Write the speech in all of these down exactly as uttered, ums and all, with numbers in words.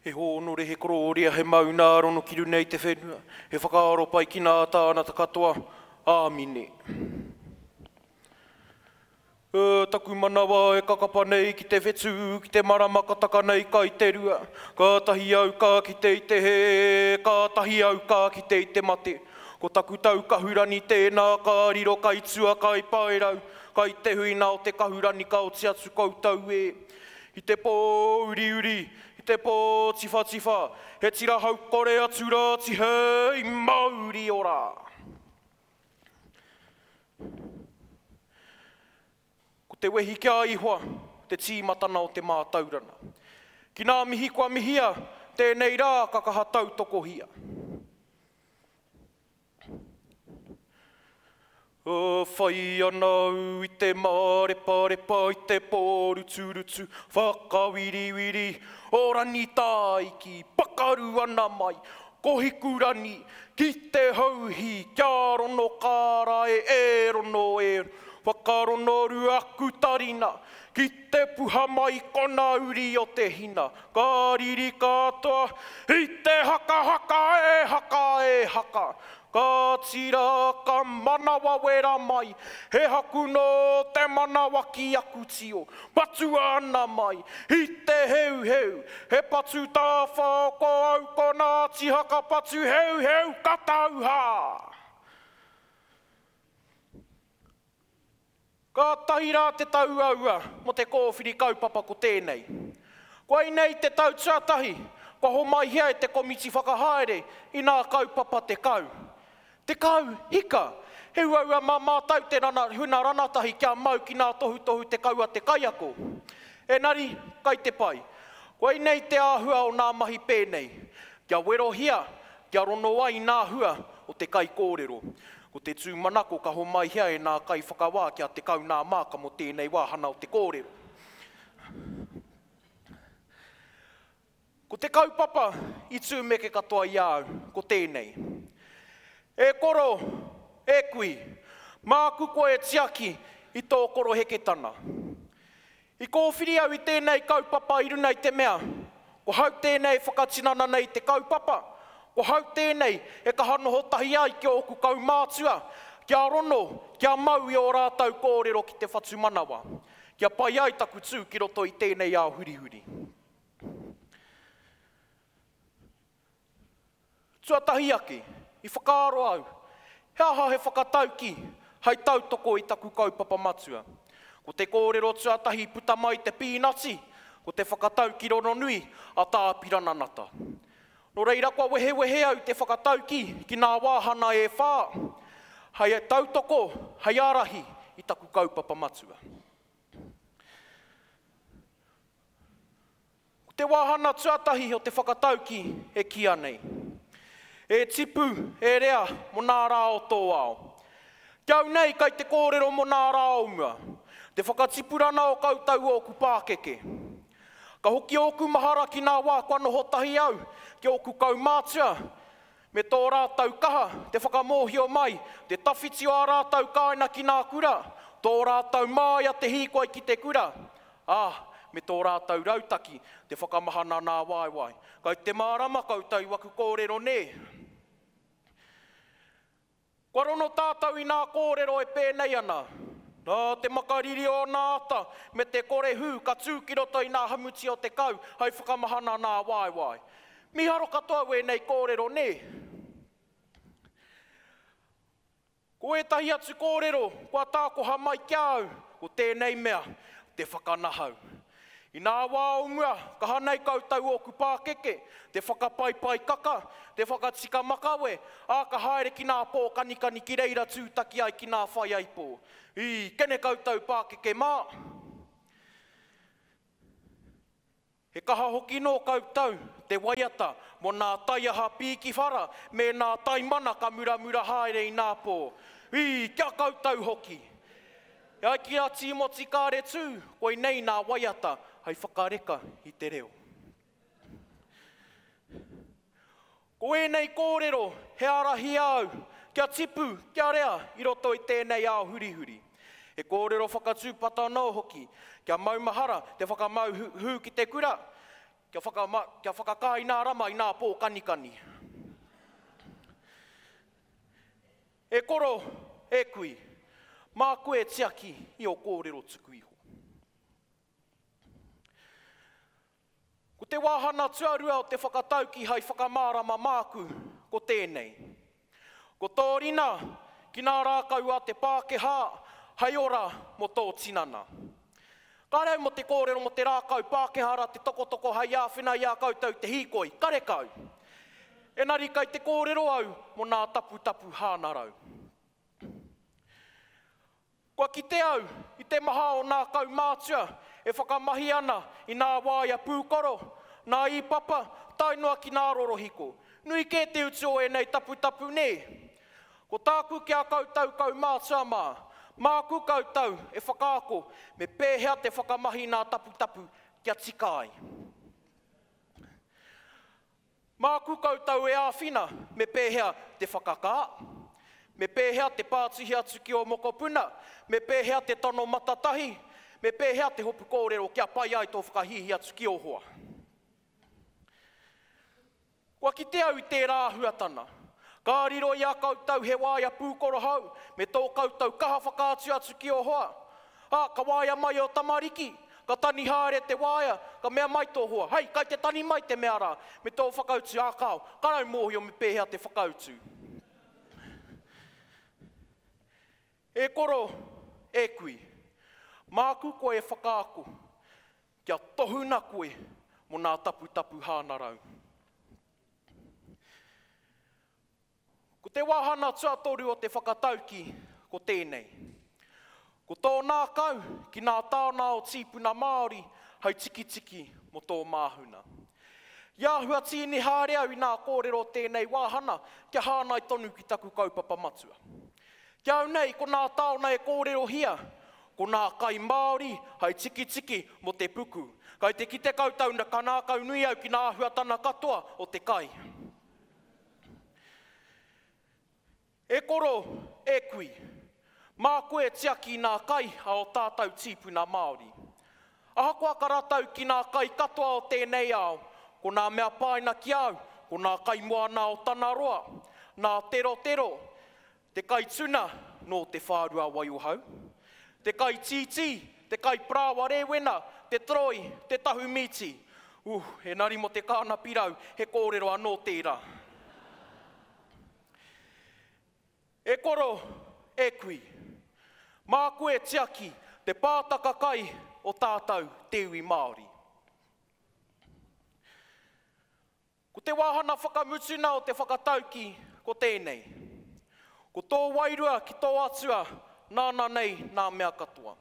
He hōnore, he korōria, he maungārono ki runga i te whenua, he whakaaro pai ki nā tāngata katoa. Āmine. E, taku manawa e kakapa nei ki te whetū, ki te marama ka taka nei kai te rua. Kātahi au ka kite i te hē, kātahi au ka kite i te mate. Ko taku tau kahurani tēnā ka riro kai tua kai paerau, kai te huina o te kahurani ka oti atu koutou e. I te pō uriuri, i te pō tiwhatiwha, he tira haukore atu rā tihei mauri ora. Ko te wehi ki a Ihoa, te tīmatana o te mātaurana. Ki nā mihi kua mihia, tēnei rā ka kaha tautokohia. Whai ana au i te māreparepa i te pōruturutu, whakawiriwiri o Rangitāiki, pakaru ana mai, ko Hikurani, ki te hauhī, kia rono kārae e rono e, whakarono aku tarina, ki te puha mai kona uri o te hina, ka riri katoa, i te haka haka e haka e haka, ka tira ka manawa wera mai, he haku nō te manawa ki aku tio, patua ana mai, i te heuheu, he patu tāwhao ko au ko Ngāti Haka patu heuheu ka tauhā. Ka tahi rā te tauaua mo te kōwhiri kaupapa ko tēnei. Koinei te tau tuatahi, kua homaihia e te komiti whakahaere i nā kaupapa tekau. Tekau, hika, he uaua mā mātau te rana, huna ranatahi kia mau ki nā tohutohu tekau a te kaiako. Enari, kai te pai. Koinei te āhua o nā mahi pēnei. Kia werohia, kia rono ai nā hua o te kaikōrero. Ko te tūmanako ka homaihia e nā kaiwhakawā kia tekau nā māka mō tēnei wāhana o te kōrero. Ko te kaupapa i tūmeke katoa i a au, ko tēnei. E koro, e kui, māku koe e tiaki i tō koroheketana. I kōwhiri au i tēnei kaupapa i runga i te mea, ko hau tēnei e whakatinana nei te kaupapa, ko hau tēnei e kaha noho tahi ai ki ōku kaumātua, kia rono, kia mau i ō rātau kōrero ki te whatumanawa, kia pai ai taku tū ki roto i tēnei ao hurihuri. Tuatahi ake, i whakaaro au, he aha he whakatauki hei tautoko i taku kaupapa matua. Ko te kōrero tuatahi puta mai te pīnati, ko te whakatauki rononui a Tāpirana Nata. Nō reira kua wehewehe au te whakatauki ki nā wāhana e whā, hei tautoko, hei ārahi i taku kaupapa matua. Ko te wāhana tuatahi o te whakatauki e kīa nei. E tipu, e rea, mō nā rā o tō ao. Ki au nei, kai te kōrero mō nā rā o mua, te whakatipurana o koutou ōku pākeke. Ka hoki ōku mahara ki nā wā kua noho tahi au ki ōku kaumātua, me tō rātou kaha, te whakamōhio mai, te tawhiti o ā rātou kāina ki nā kura, tō rātou māia te hīkoi ki te kura, ā, me tō rātou rautaki, te whakamahana nā waewae. Kai te mārama koutou i waku kōrero nē? Kua rono tātou i nā kōrero e pēnei ana. Nā te makariri o nā ata me te kore hū ka tū ki roto i nā hamuti o te kau hai whakamahana nā waewae. Mīharo katoa wēnei kōrero nē? Ko ētahi atu kōrero kua tākoha mai ki a au, ko tēnei mea, te whakanahau. I nā wā o mua, kaha nei koutou ōku pākeke, te whakapaipai kaka, te whakatika makawe, ā, ka haere ki nā pō kanikani ki reira tūtaki ai ki nā whaiaipō. I, kene koutou pākeke mā! He kaha hoki nō koutou te waiata mō nā taiaha pīkiwhara me nā taimana ka muramura haere i nā pō. Ī, kia koutou hoki! E ai ki a Tīmoti Kāretū, koinei nā waiata hei whakareka i te reo. Ko ēnei kōrero he ārahi au kia tipu, kia rea i roto i tēnei ao hurihuri. He kōrero whakatūpato anō hoki, kia maumahara te whakamau hū ki te kura, kia, whakama, kia whakakā i nā rama i nā pō kanikani. E koro, e kui, mā koe tiaki i o kōrero tuku iho. Ko te wāhana tuarua o te whakatauki hai whakamārama māku, ko tēnei. Ko tō rina ki nā rākau a te Pākehā, hai ora mō tō tinana. Kāre au mō te kōrero mō te rākau Pākehā rā te tokotoko hai āwhina i a koutou te hīkoi, karekau. Enari kai te kōrero au mō nā taputapu hānarau. Kua kite au i te maha o nā kaumātua e whakamahi ana i nā waea pūkoro, nā īpapa, tae noa ki nā rorohiko. Nui kē te utu o ēnei taputapu nē. Ko tāku ki a koutou kaumātua mā, māku koutou e whakaako me pēhea te whakamahi nā taputapu kia tika ai. Māku koutou e āwhina me pēhea te whakakā, me pēhea te pātuhi atu ki o mokopuna, me pēhea te tono matatahi, me pēhea te hopu kōrero kia pai ai tō whakahihi atu ki o hoa. Kua kite au i tērā āhuatana. Ka riro i a koutou he waea pūkoro hou, me tō koutou kaha whakaatu atu ki o hoa. Ā, ka waea mai o tamariki, ka tani haere te waea, ka mea mai tō hoa. Hei, kai te tani mai te mea rā, me tō whakautu, ā kāo, ka rau mōhio me pēhea te whakautu. E koro, e kui, māku koe e whakaako, kia tohuna koe mō nā taputapu hānarau. Ko te wāhana tuatoru o te whakatauki, ko tēnei. Ko tō nākau ki nā tāna o tīpuna Māori hei tikitiki mō tō māhuna. I āhua tīni haere au i nā kōrero tēnei wāhana kia hānai tonu ki taku kaupapa matua. Kia au nei, ko nā tāona e kōrerohia, ko nā kai Māori hei tikitiki mō te puku. Kai te kite koutou na ka nākau nui au ki nā āhuatana katoa o te kai. E koro, e kui, mā koe tiaki nā kai a o tātou tīpuna Māori. Ahakoa ka ratau ki nā kai katoa o tēnei ao, ko nā mea pāina ki au, ko nā kai moana o Tanaroa, nā terotero, te kai tuna nō te whārua Waiohau, te kai tītī, te kai parāoa rēwena, te troi, te tahu mīti. Uh, enari mō te kāna pirau, he kōrero anō tērā. E koro, e kui, mā koe tiaki te pātaka kai o tātou te iwi Māori. Ko te wāhana whakamutuna o te whakatauki ko tēnei. Ko tō wairua ki tō atua, nāna nei nā mea katoa.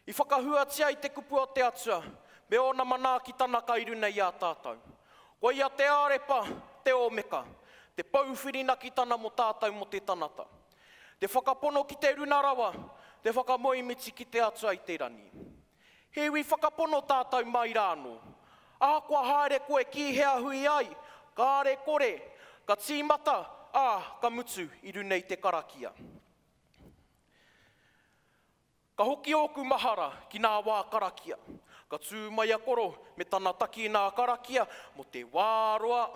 I whakahuatia i te kupu o te atua, me ōna manaakitana kai runa i a tātou. Ko ia te ārepa, te ōmeka, te pouwhirinakitana mō tātou mō te tanata. Te whakapono ki te runa rawa, te whakamoemiti ki te atua i te rangi. He iwi whakapono tātou mai rānō. Ahakoa haere koe ki hea hui ai, kāre kore, ka tīmata, ā, ka mutu i runa i te karakia. Ka hoki ōku mahara ki nā wā karakia. Ka tū mai a koro me tana taki nā karakia mō te wā roa.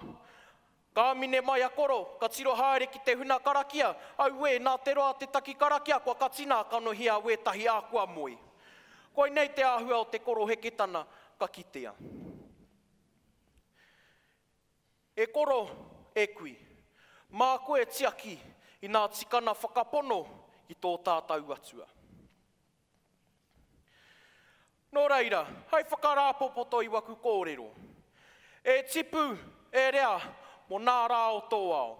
Ka mine mai a koro, ka tiro haere ki te huna karakia, auē, nā te roa te taki karakia, kua katina kanohi a wētahi ā kua moe. Koinei te āhua o te koro heketana ka kitea. E koro, e kui, mā koe tiaki i nā tikana whakapono ki tō tātou atua. Nō reira, hai whakarāpopoto i waku kōrero. E tipu, e rea, mō nā rā o tō ao.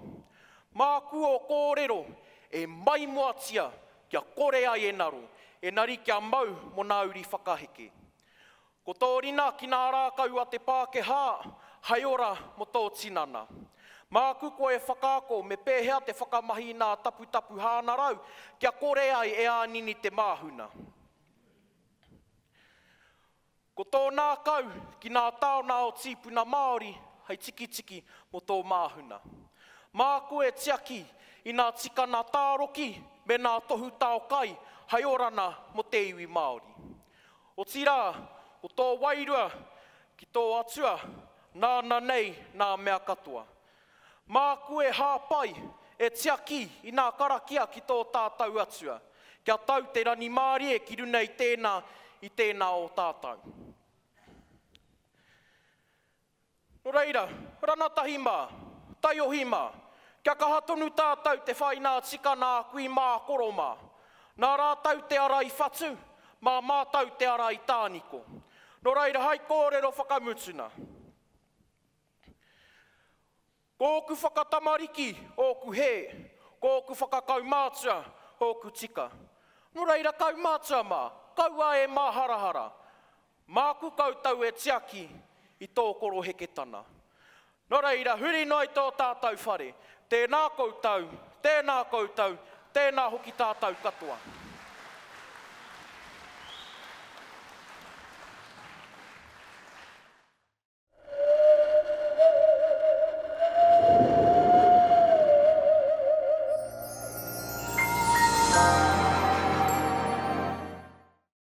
Māku o kōrero e maimoatia kia kore ai e naro, enari kia mau mō nā uri whakaheke. Ko tō rina ki nā rākau a te Pākehā, hai ora mō tō tinana. Māku koe e whakaako me pēhea te whakamahi nā taputapu hānarau, kia kore ai e ānini te māhuna. Ko tō nākau ki nā tāona o tīpuna Māori, hei tikitiki mō tō māhuna. Māku e tiaki i nā tikana tāroki me nā tohu tao kai hai orana mō te iwi Māori. Otirā, ko tō wairua ki tō Atua, nāna nei nā mea katoa. Māku e hāpai, e tiaki i nā karakia ki tō tātou Atua, kia tau te rangimārie ki runa i tēnā, i tēnā o tātou. Nō reira, ranatahi mā, taiohi mā, kia kaha tonu tātou te whai nā tika nā kui mā koro mā. Nā rātou te ara i whatu, mā mātou te ara i tāniko. Nō reira, hai kōrero whakamutuna. Ko ōku whakatamariki, ōku hē, ko ōku whakakaumātua, ōku tika. Nō reira, kaumātua mā, kaua e māharahara. Māku koutou e tiaki i tō koroheketana. Nō reira, huri noa i tō tātou whare. Tēnā koutou, tēnā koutou, tēnā hoki tātou katoa.